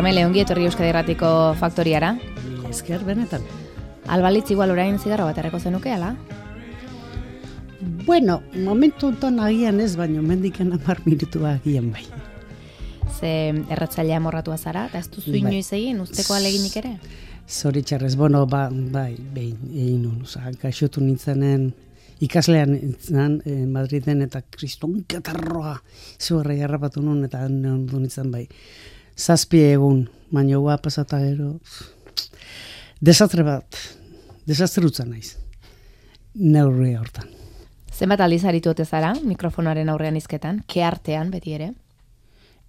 Carmele, ongi etorri Euskadi Irratiko faktoriara. Esker benetan. Albalitz igual orain zigarro bat erreko zenuke, ala? Bueno, momentu honetan agian ez, baina mendiken 10 minutua agian bai. Ze erratzailea morratua zara, eta ez duzu inoiz egin, usteko aleginik ere? Zoritxarrez, bueno, bai, egin nun, gaixotu nintzenen, ikaslean nintzen, Madriden, eta kriston katarroa, zuharra jarrapatu nun, eta ondu nintzen bai. 7 egun, baina hua pasata gero, desastre utzan naiz, neurri hortan. Zenbat aldiz aritu ote zara, mikrofonoaren aurrean izketan, keartean beti ere?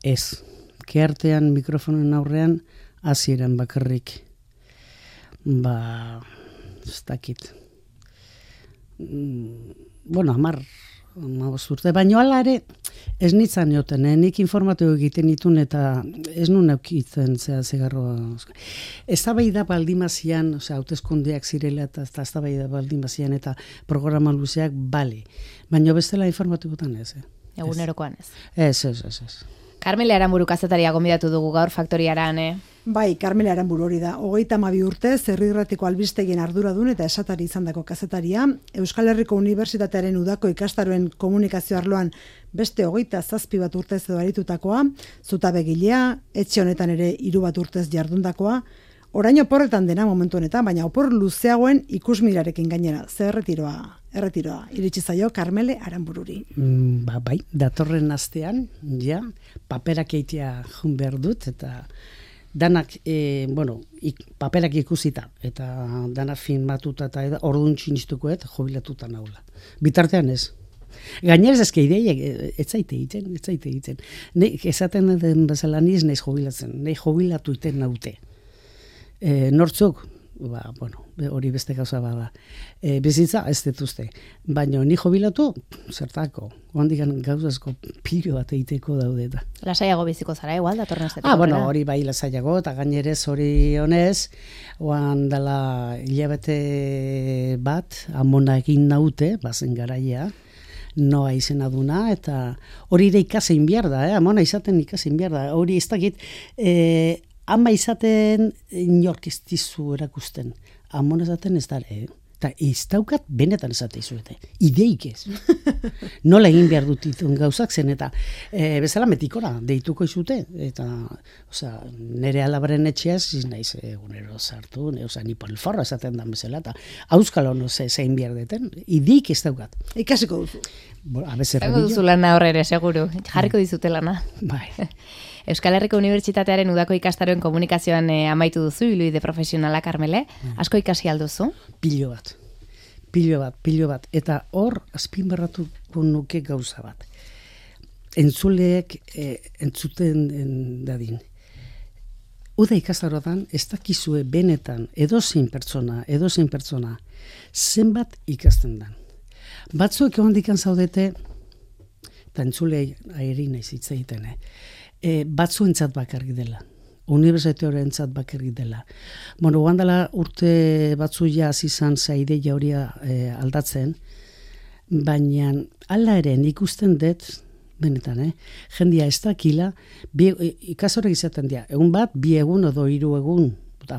Ez, keartean mikrofonoen aurrean, hasieran bakarrik, ez dakit. Bueno, 15 urte, baina hala ere, ez nintzen joten, nik informatu egiten ditun eta ez nun eukitzen zegarroa. Ez da bai da baldimazian, hauteskundeak zirela eta ez da bai da baldimazian eta programa luzeak, bale. Baina bestela informatu gutan ez. Egunerokoan ez. Ez. Carmele Aranburu kazetaria gonbidatu dugu gaur faktoriaran, Bai, Carmele Aranburu hori da. 32 urte, Herri Irratiko albistegien arduradun eta esatari izandako kazetaria, Euskal Herriko Unibertsitatearen udako ikastaroen komunikazio arloan beste 27 bat urtez edo aritutakoa, zutabegilea, etxe honetan ere 3 bat urtez jardundakoa, orain oporretan dena momentu honetan, baina opor luzeagoen ikusmirarekin gainera. Ze erretiroa, iritsi zaio Carmele Aranbururi. Bai, datorren astean, paperak eitea jun behar dut, eta danak, paperak ikusita, eta danak filmatuta eta orduan txintztukoet jubilatuta naula. Bitartean ez. Gainerez ezke ideiak ez zaite egiten. Esaten den bezala niz naiz jubilatzen, nahi jubilatu iten naute. Nortzuk, hori beste gauza bada. Bizitza ez dituzte. Baina ni jubilatu, zertako. Ondikan gauzazko pilo bat egiteko daude eta. Lasaiago biziko zara, igual, datorren astetik. Hori bai lasaiago, eta gainerez hori honez, oan dela hilabete bat, amona egin naute, bazen garaia, noa izena duna, eta hori ere ikasein behar da, amona izaten ikasein behar da. Hori ez dakit, ama izaten inork ez dizu erakusten. Amona izaten ez dara, eta ez daukat benetan esate izuete. Ideik ez. Nola egin behar dut itun gauzak zen, eta bezala metikora deituko izute. Eta, nire alabaren etxeaz, naiz egunero sartu, ni polforra esaten dan bezala, eta auskalo zein behar deten. Ideik ez daukat. Ikasiko duzu. Zago duzu lana horre seguru. Jarriko dizute lana. Bai. Euskal Herriko Unibertsitatearen udako ikastaroen komunikazioan amaitu duzu, ibilbide profesionala, Carmele. Asko ikasi alduzu? Pilo bat. Eta hor, azpimarratuko nuke gauza bat. Entzuleek entzuten dadin. Uda ikastaroan, ez dakizue benetan, edozein pertsona, zenbat ikasten dan. Batzuek egon dikan zaudete, eta entzulei airi nahiz hitz egiten, batzuentzat bakarrik dela. Unibertsitatearentzat bakarrik dela. Guandala urte batzuia izan zaideia hori aldatzen, baina hala ere ikusten dut, benetan, jendia ez dakila, ikasorek izaten dira, egun bat, 2 egun edo 3 egun,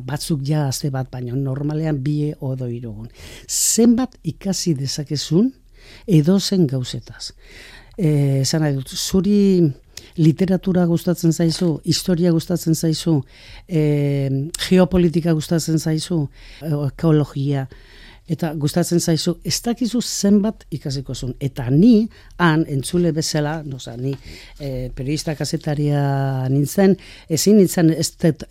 batzuk ja azte bat, baina normalean 2 edo 3 egun. Zenbat ikasi dezakezun edozen gauzetaz. Esan nahi dut, zuri literatura gustatzen zaizu, historia gustatzen zaizu, geopolitika gustatzen zaizu, ekologia, eta gustatzen zaizu, ez dakizu zenbat ikasiko zuen. Eta ni, entzule bezala, ni periodista kazetaria nintzen, ezin nintzen ez dut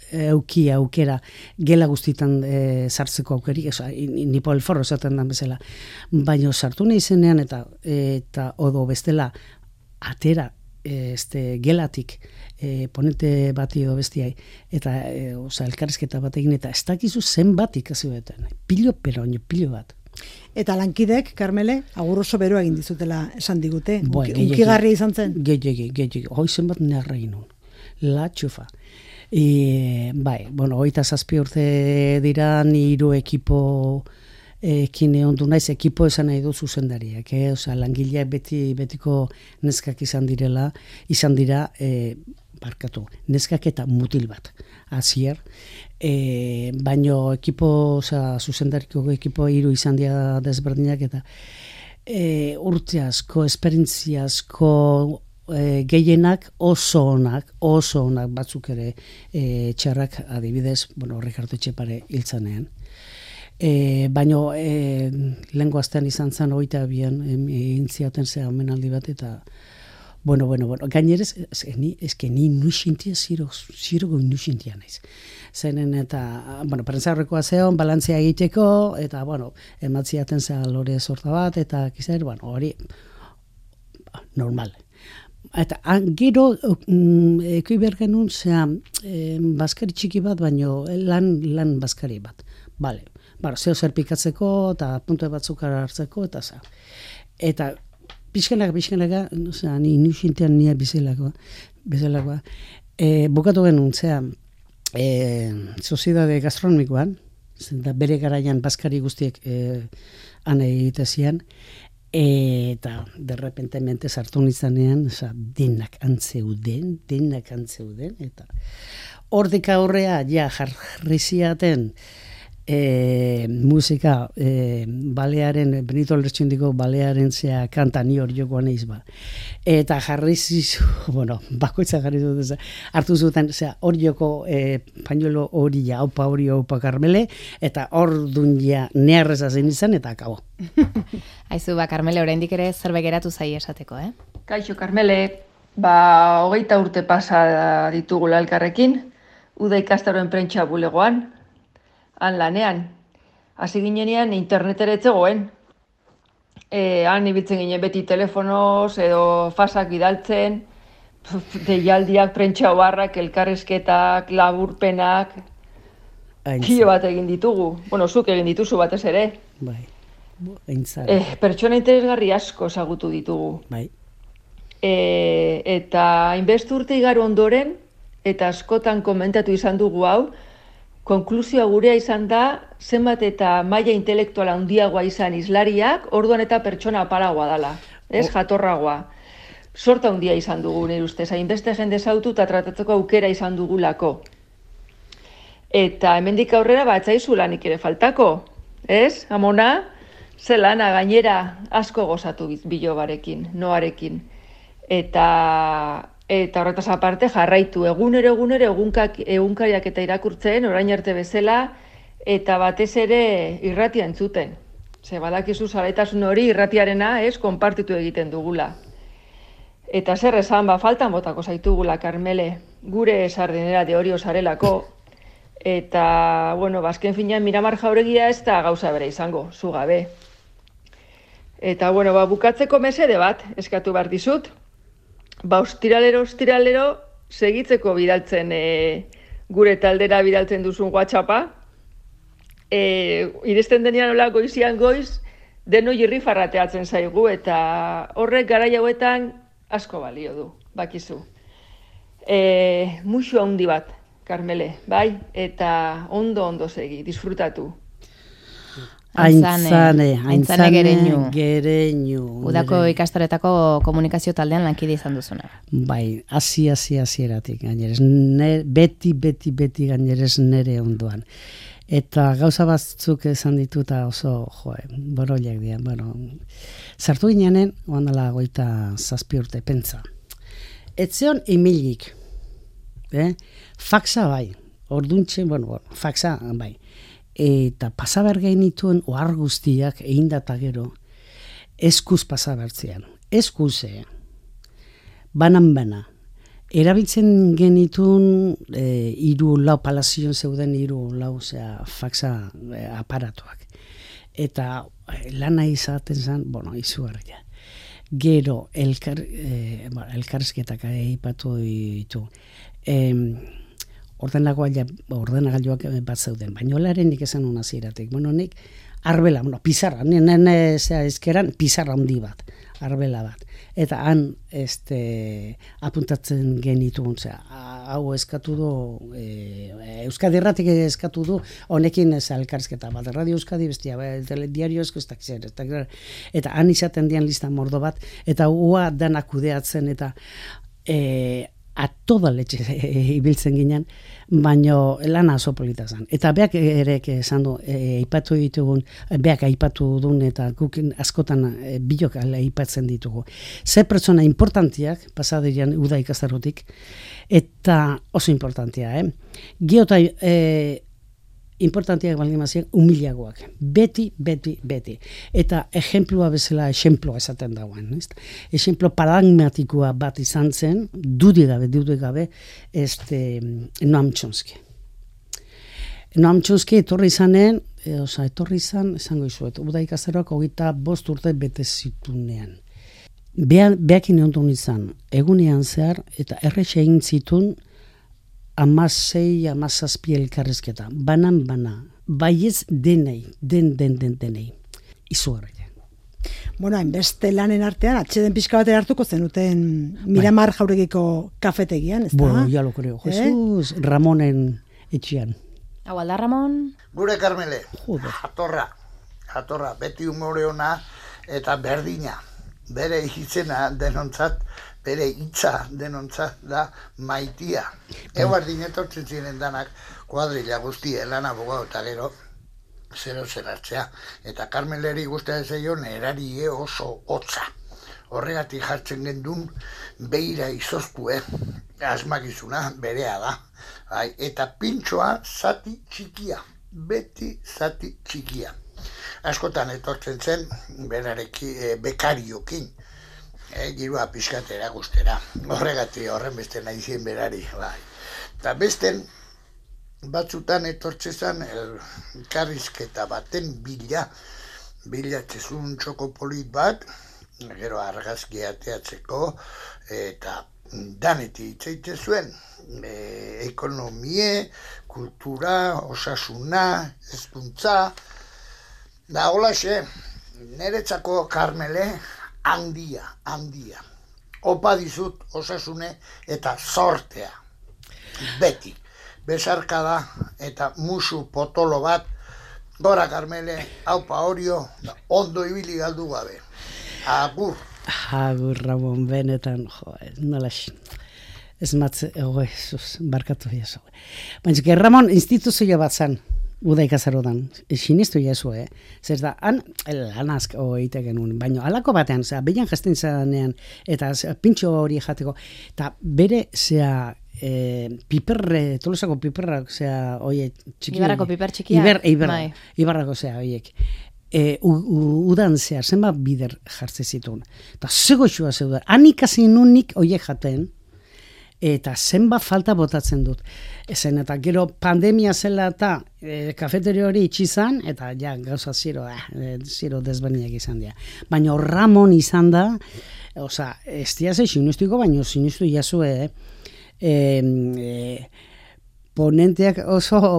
aukera gela guztitan sartzeko aukerik, ni polforro esaten den bezala. Baina sartu nahi zenean eta odo bestela atera gelatik ponente bati edo bestiai eta elkarrizketa bat egin eta ez dakizu zenbat ikasi beten. Pilo bat. Eta lankidek, Carmele, agur oso beroa egin dizutela esan digute. Unkigarria izan zen? Gehiagik. Hoi zenbat nerra egin nun. La txufa. Bai, 27 urte dira, ni 3 ekipo kine ondu naiz, ekipo esan nahi du zuzendariak, langileak betiko neskak izan dira, barkatu, neskak eta mutil bat, hasier, baino ekipo, zuzendariko ekipo 3 izan dira desberdinak, eta urte asko, esperientzia asko, gehienak oso onak, batzuk ere txarrak adibidez, Ricardo Etxepare hiltzanean. Baino lehengo astean izan zen 22an egin ziaten omenaldi bat, eta gainerez, ni nuixintia zirogo nuixintia naiz. Zenen eta, prentzaurrekoa zeon, balantzea egiteko, eta, ematziaten lore sorta bat, eta kizaer, hori normal. Eta gero ekoi bergenun baskari txiki bat, baino lan baskari bat. Bale, zeo zer pikatzeko, eta puntu batzuk hartzeko, eta Eta pixkanaka, ni nuxintean nia bizelakoa. Bukatu genuen, soziedade gastronomikoan, bere garaian baskari guztiek han egitezian, eta derrepentemente sartu nizanean, denak antzeuden, eta hortik aurrea jarri ziaten musika balearen, Benito Lertxundiko balearen kanta ni hor jokoan eiz ba. Eta jarri zizu, bakoitza jarri dut, hartu zuten, hor joko pañuelo hori aupa Karmele, eta hor dun neharreza zen izan, eta akabo. Aizu, Karmele, oraindik ere zerbait geratu zai esateko, Kaixo, Karmele, 20 urte pasa ditugula elkarrekin, uda ikastaroen prentsa bulegoan, han lanean. Hasi ginenean internetera etzegoen. Han ibiltzen ginen beti telefonoz edo fasak bidaltzen, deialdiak, prentsa oharrak, elkarrizketak, laburpenak, kilo bat egin ditugu. Zuk egin dituzu batez ere. Bai, pertsona interesgarri asko ezagutu ditugu. Bai. Eta hainbeste urte igaro ondoren, eta askotan komentatu izan dugu hau, konklusioa gurea izan da, zenbat eta maila intelektuala handiagoa izan hizlariak, orduan eta pertsona apalagoa dala, jatorragoa. Sorta handia izan dugu, nire ustez, hainbeste jende zautu eta tratatzeko aukera izan dugulako. Eta hemendik aurrera batzaizu lanik ere faltako, Amona? Ze lana gainera asko gozatu bilobarekin, noarekin. Eta horretaz aparte jarraitu egunero egunkariak eta irakurtzen, orain arte bezala, eta batez ere irratia entzuten. Badakizu zaleitasun hori irratiarena, konpartitu egiten dugula. Eta zer esan, faltan botako zaitugula, Karmele, gure sardinera de hori osarelako, eta, azken finean Miramar Jauregia ez da gauza bere izango, zu gabe. Eta, bukatzeko mesede bat, eskatu behar dizut, ostiralero, segitzeko bidaltzen, gure taldera bidaltzen duzun WhatsAppa. Iristen denean hola goizian goiz, deno irrifarrateatzen zaigu, eta horrek garai hauetan asko balio du, bakizu. Muxu handi bat, Karmele, bai? Eta ondo segi, disfrutatu. Aintzane Gereñu. Udako ikastaroetako komunikazio taldean lankide izan duzuna. Bai, hasieratik gainera. Beti gainera nere ondoan. Eta gauza batzuk esan dituta oso, boroiak dira. Sartu gineanen, oandala 27 urte, pentsa. Etzeon emilik. Faxa bai. Orduntxe, faxa bai. Eta pasaber gainituen ohar guztiak egin data gero eskuz pasabertzean. Eskuze. Banan. Erabiltzen genituen 3-4 palazion zeuden 3-4 faxa aparatuak. Eta lana izaten zen, izugarria. Gero elkarrizketak aipatu ditu. Ordenagailuak bat zeuden, baina olarenik esan hona ziratik. Nik arbela, pizarra, ezkeran pizarra handi bat, arbela bat. Eta han apuntatzen genituen, hau eskatu du, Euskadi Erratik eskatu du, honekin elkarrizketa bat, Radio Euskadi bestia, Diario Euskadi, eta han izaten dian lista mordo bat, eta hua danak kudeatzen, eta toda letxe ibiltzen ginen, baino lana oso polita zen. Eta beak ere esan du, aipatu ditugun, beak aipatu duen eta guk askotan bilok aipatzen ditugu. Ze pertsona importantiak, pasadeian uda ikastarotik, eta oso importantia, Geota importantiak baldin mazien humilagoak. Beti. Eta ejemplua bezala, ejemploa esaten dagoen. Ejemplo paradigmatikoa bat izan zen, dudik gabe, Noam Chomsky. Noam Chomsky etorri izan, esango izuet, uda ikastaroak 25 urte bete zitunean. Beakin ondun izan, egunean zehar, eta erretxe egin zitun, 16-17 elkarrizketa, bana, baiez denei, denei, izugarria. Bueno, hainbeste lanen artean, atxeden pixka batera hartuko zenuten Miramar Jauregiko kafetegian, ez da? Bueno, ya lo creo, Jesus, Ramonen etxian. Hau alda, Ramon? Gure Karmele, Joder. jatorra, beti humore ona eta berdina, bere hitzena denontzat, bere hitza denontzat da maitia. Eguardin etortzen ziren danak kuadrilla guztie lan abogado eta gero zero hartzea. Eta Karmeleri guztia zeion erari oso hotza. Horregatik jartzen gendun beira izoztue, asmakizuna berea da. Eta pintxoa zati txikia, beti zati txikia. Askotan etortzen zen bekariokin. Girua pixkatera guztera. Horregatik horren beste nahi zien berari. Eta besten batzutan etortzezan elkarrizketa baten bilatzezun txoko polit bat, gero argazki ateatzeko, eta daneti itzaite zuen. Ekonomie, kultura, osasuna, hezkuntza. Da holaxe, niretzako Karmele, handia. Opa dizut osasune eta sortea. Beti. Besarkada eta musu potolo bat. Gora Karmele, haupa horio, ondo ibili galdu gabe. Agur. Agur, Ramon, benetan, nolax. Ez matze, barkatu jaso. Baina, Ramon, instituzio bat zen. Uda ikazarodan, sinistu jazu, Zer da, lanazk egite genuen, baina alako batean, behian jasten zanean, eta pintxo hori jateko, eta bere, piperre, Tolosako piperrak, oie, txiki... Ibarrako piper txikiak? Ibarrako, oiek. Udan zehar, zenbat bider jartze zituen. Eta zegoitxua zeudan, hanikasi nunik oiek jaten, eta zenbat falta botatzen dut. Ezen, eta gero pandemia zela eta kafeteri hori itxizan, eta ja, gauza zero desberdinak izan dira. Baina Ramon izan da, ez diaz sinustuko, baina sinustu jazue, ponenteak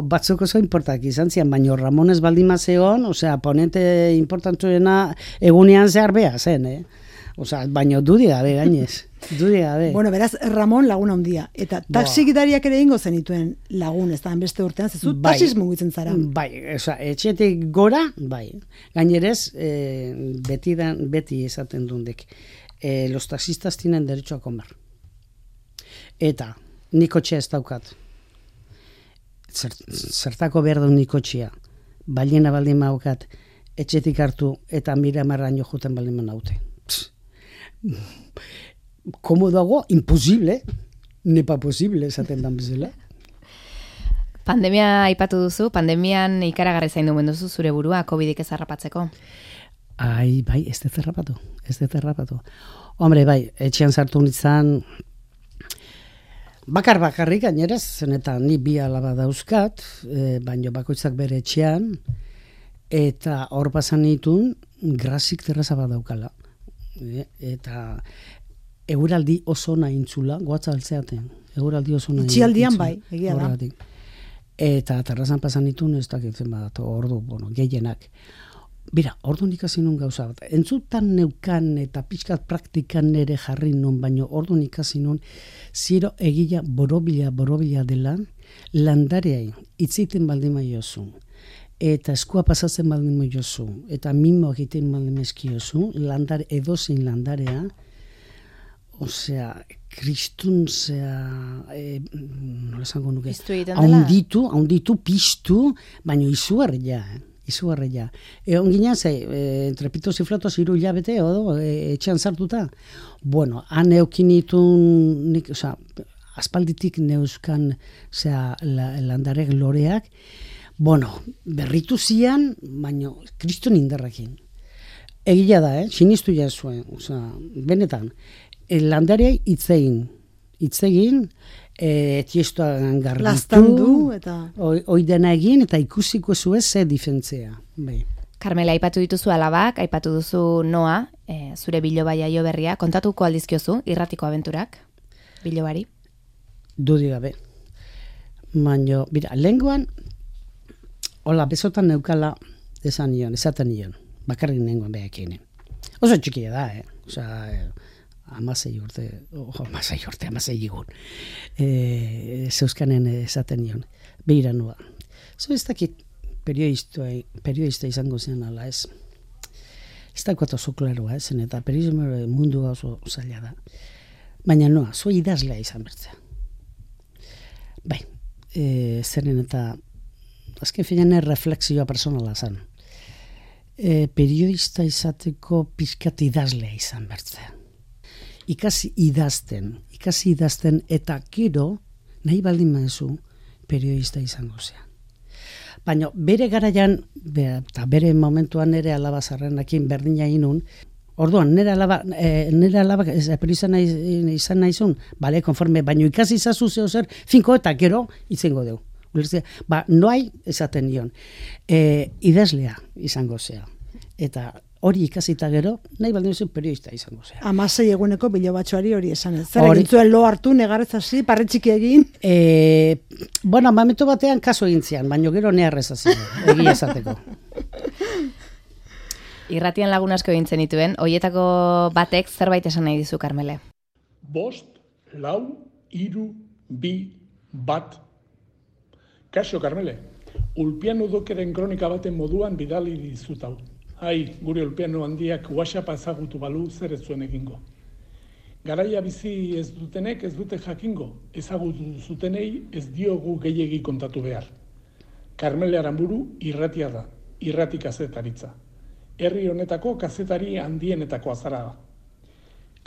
batzuk oso importantak izan zian, baina Ramon ez baldin mazeon, ponente importantuena egunean zehar beha zen, baina dudi gabe gainez. Bueno, beraz, Ramon laguna handia. Eta taxigidariak ere ingo zenituen lagun, ez da, beste urtean, zezu taxiz mugitzen zara. Bai, etxetik gora, bai. Gainerez, beti esaten dundek. Los taxistas tienen derecho a comer. Eta, nik kotxea ez daukat. Zertako behar du nik kotxea. Baliena baldin maukat, etxetik hartu eta Miramarraino juten baldin manaute. Komodago, imposible, nepa posible, esaten dan bezala. Pandemia aipatu duzu, pandemian ikaragarri zaindu menduzu zure burua, COVID-ik ez harrapatzeko. Bai, ez dut errapatu. Hombre, bai, etxean sartu nintzen, bakarrik gaineraz, zenetan ni 2 alaba dauzkat, baino bakoitzak bere etxean, eta hor pasan nitun, grazik terraza bat daukala. Eta eguraldi oso nahintzula, goatza altzeaten. Eguraldi oso nahintzula. Itxialdian bai, egia da. Eta terrazan pasan nitun, ez dakitzen bat, ordu, gehienak. Bira, orduan ikasi nun gauza bat. Entzutan neukan eta pixkat praktikan ere jarri nun, baino orduan ikasi nun, ziro egila borobila dela, landareai, itziten baldin maiozu, eta eskua pasatzen baldin maiozu, eta mimo egiten baldin mezkiozu, edozein landarea, osea, kristun, nola esango nuke, Piztu egiten dela? haunditu, piztu, baina izugarria, izugarria. Ongina, entrepitos y flotos 3 hilabete, etxean sartuta. Bueno, han eukinitun, osea, aspalditik neuzkan, landarek loreak, bueno, berritu zian, baina kriston indarrekin. Egia da, sinistu jazuen, osea, benetan, landarei hitzegin, tiestoan garbitu, Lastandu, eta... Oidena egin, eta ikusiko zuez ze difentzea. Bai. Carmela, aipatu dituzu alabak, aipatu duzu Noa, zure biloba jaio berria, kontatuko aldizkiozu, irratiko abenturak, bilobari? Dudi gabe. Baina, bira, lehenguan, hola, besotan neukala esaten nion, bakarrik nengoen behakien. Oso txikia da, Osea, 16 egun. Zeuskanen esaten nion, behira nua. Ez dakit periodista izango zen ala, ez dakit oso klaroa, zen, eta periodismo mundua oso zaila da. Baina noa, zo idazlea izan bertzea. Bai, zeren eta azken finean reflexioa personala zen. Periodista izateko pizkat idazlea izan bertzea. Ikasi idazten eta gero nahi baldin maizu periodista izango zean. Baina bere garaian, eta bere momentuan nire alaba zarrenakin berdina inun, orduan nire alaba periodista izan nahizun, bale, konforme, baina ikasi izazu zeo zer, finko eta gero izango deu. Noai esaten nion, idazlea izango zea. Eta hori ikasita gero, nahi baldin zuen periodista izango zea. 16 eguneko bilobatxoari hori esan ez. Zer egin zuen lo hartu, negarrez hasi, parretxiki egin? Bueno, momentu batean kaso egin zian, baina gero neharrez hasi, egia esateko. Irratian lagun asko egin zenituen, hoietako batek zerbait esan nahi dizu, Carmele? 5, 4, 3, 2, 1. Kaixo, Carmele, Ulpiano Dokeren kronika baten moduan bidali dizut hau. Gure Ulpiano handiak WhatsAppa ezagutu balu zer ez zuen egingo. Garaia bizi ez dutenek ez dute jakingo, ezagutu zutenei ez diogu gehiegi kontatu behar. Carmele Aramburu irratia da, irrati kazetaritza. Herri honetako kazetari handienetako azara da.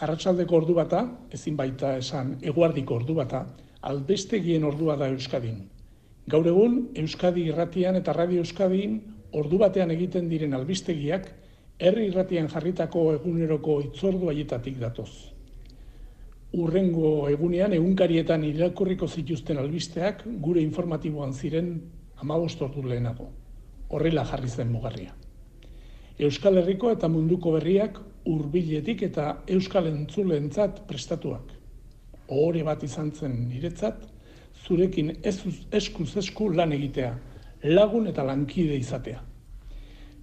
Arratsaldeko ordu bata, ezin baita esan eguardiko ordu bata, albestegien ordua da Euskadin. Gaur egun, Euskadi irratian eta Radio Euskadin ordu batean egiten diren albistegiak, herri irratian jarritako eguneroko itzordu haietatik datoz. Urrengo egunean egunkarietan irakurriko zituzten albisteak gure informatiboan ziren 15 ordu lehenago. Horrela jarri zen mugarria. Euskal Herriko eta munduko berriak hurbiletik eta euskal entzuleentzat prestatuak. Ohore bat izan zen niretzat, zurekin eskuz esku lan egitea, lagun eta lankide izatea.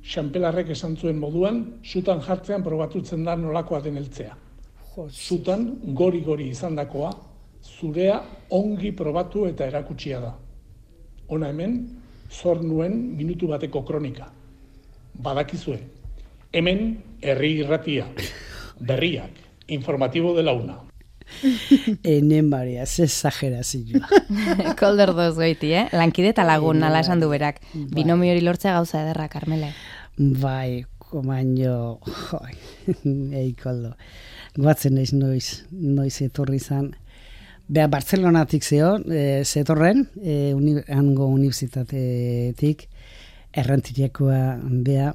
Xanpelarrek esan zuen moduan, sutan jartzean probatutzen da nolakoa den heltzea. Sutan gori-gori izandakoa, zurea ongi probatu eta erakutsia da. Hona hemen, zor nuen minutu bateko kronika. Badakizue, hemen herri irratia, berriak, informatibo de la una. Enen Maria, ze exagerazioa. Kolder doz goiti, lankide eta lagun, ala esan du berak. Binomio hori lortzea gauza ederra, Carmele. Bai, komaino, koldo. Guatzen naiz noiz etorri zan. Bea, Bartzelonatik zetorren, hango unibertsitatetik, errantiriakoa bea,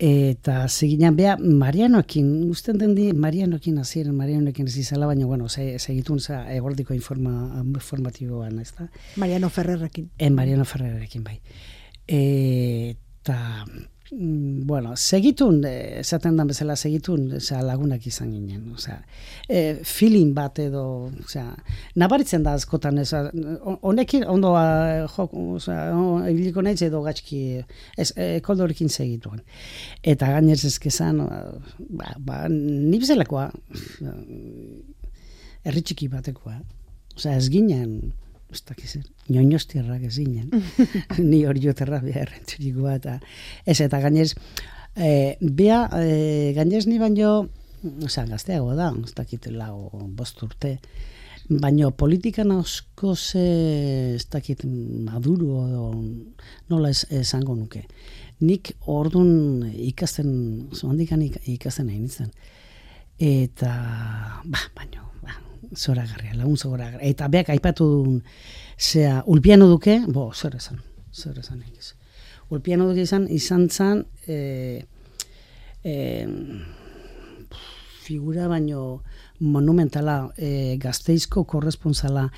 eta seginan bea Marianoekin, usten den di Marianoekin aziren, Marianoekin ez izala, baina, bueno, segitun egordiko informatiboan, ez da? Mariano Ferrerrekin. Mariano Ferrerrekin, bai. Eta, bueno, segitun, esaten dan bezala segitun, lagunak izan ginen, feeling bat edo, nabaritzen da askotan, honekin, ondo ibiliko nahiz edo gatxki, koldorekin segituen. Eta gainez ezkezan, nibzelakoa, erritxiki batekoa, ez ginen, ez dakizen, nioñostierrak ez ginen, ni hori joterra behar errenturikoa, eta gainez, gainez ni baino osea, gazteago da, ez dakit 5 urte, baina politikan asko ez dakit Maduro edo nola esango nuke. Nik ordun ikasten, zohandikan ikasten nahi nintzen. Eta, baina, zoragarria, lagun zoragarria. Eta beak aipatu duen, Ulpiano Duke, zer esan egiz. Ulpiano Duke izan zan, figura baino monumentala, Gasteizko korresponsala.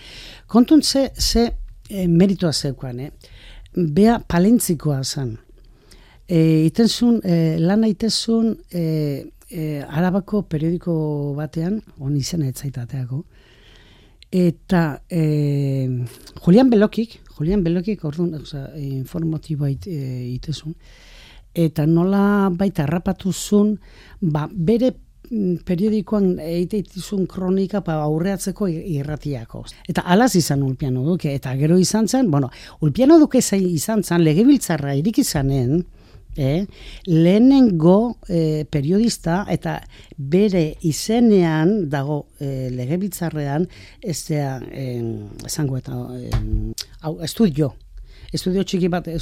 Kontun ze meritoa zeukan, bea palentzikoa zan. Lana itezun Arabako periodiko batean, on izena etzaitateako, eta Julian Belokik orduan, informatiboa itezun, eta nola baita harrapatu zuen, bere periodikoan eitizun kronika aurreatzeko irratiako. Eta alaz izan Ulpiano Duke, eta gero izan zen, Ulpiano Duke izan zen, legebiltzarra irik izanen, lehenengo periodista eta bere izenean dago legebiltzarrean esango eta estudio txiki bat,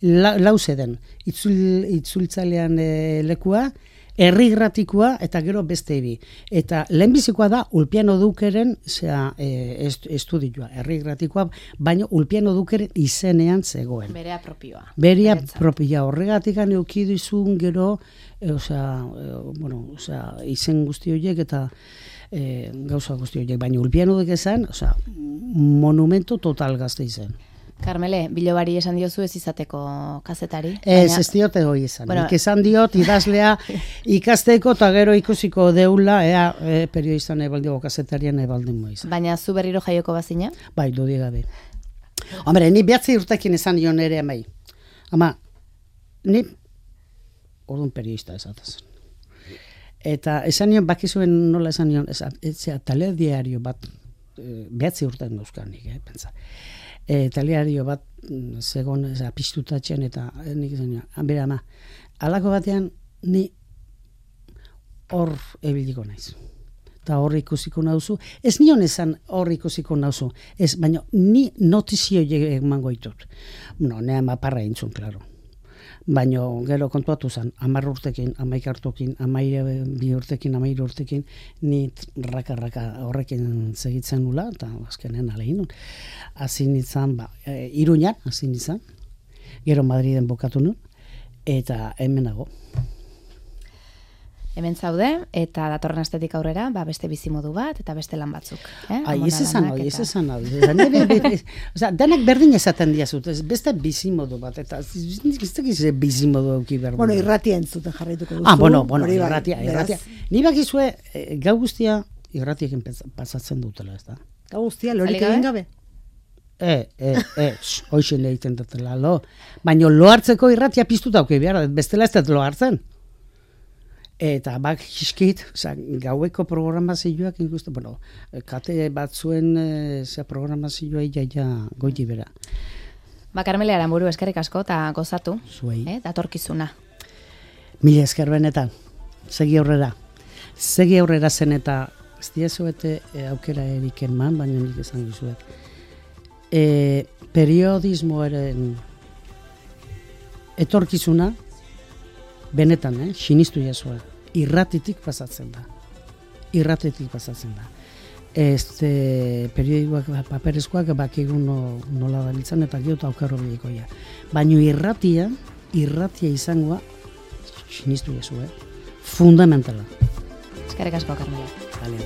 lau zeden itzultzailean lekua, herrigratikoa eta gero beste bi. Eta lehenbizikoa da Ulpiano Dukeren estudioa, herrigratikoa, baina Ulpiano Dukeren izenean zegoen. Berea propioa. Berea propioa. Horregatik eukidizun gero, izen guzti horiek eta gauza guzti horiek. Baina Ulpiano Dukezan, monumento total Gasteizen. Carmele, Bilobari esan diozu ez izateko kazetari? Ez diote hoi esan. Nik esan diot idazlea ikasteko eta gero ikusiko deula periodistan ebaldigo kazetarian ebaldin moiz. Baina zu berriro jaioko bazina? Bai, dudi gabe. Hombre, ni 9 urtekin esan dion ere amai. Ama, ni orduan periodista esataz. Eta esan nion, bakizuen nola esan nion, telediario bat 9 urtean dauzkanik, pentsa. Taliario bat segon piztutatzen eta nik izan bera ama halako batean ni hor ebiliko naiz eta hor ikusiko nauzu ez nion esan hor ikusiko nauzu ez baina ni notizio emango ditut ne amaparra intzun claro baina gero kontuatu zen 10 urtekin 11 urtekin 12 urtekin 13 urtekin ni raka horrekin segitzen nula eta azkenen alegin hasi nintzen Iruñan hasi nintzen gero Madriden bukatu nun eta hemenago hemen zaude eta datorren astetik aurrera beste bizimodu bat eta beste lan batzuk ez esan hori denak berdin esaten diazut beste bizimodu bat eta ez bizimodu auki behar irratia entzuten jarraituko duzu irratia ni bakizue gau guztia irratiekin pasatzen dutela ez da gau guztia lorik egin gabe hoixen egiten dutela baina lo hartzeko irratia piztuta auki behar bestela ez dut lo hartzen eta hiskit, gaueko programazioak ikusten, kate batzuen programazioa iaia goiti bera. Carmele Aranburu, eskerrik asko eta gozatu. Zuei. Datorkizuna. Mila esker benetan. Segi aurrera zen eta ez diazuete aukera eriken man, baina nik esan dizuet. Periodismoaren etorkizuna benetan, sinistu jasua. Irratitik pasatzen da. Periodikoak, paperezkoak bakigun nola dabiltzan eta gero aukarro bidikoia. Baina irratia izangoa sinistu jasua. Fundamentala. Eskerrik asko, Carmela. Vale,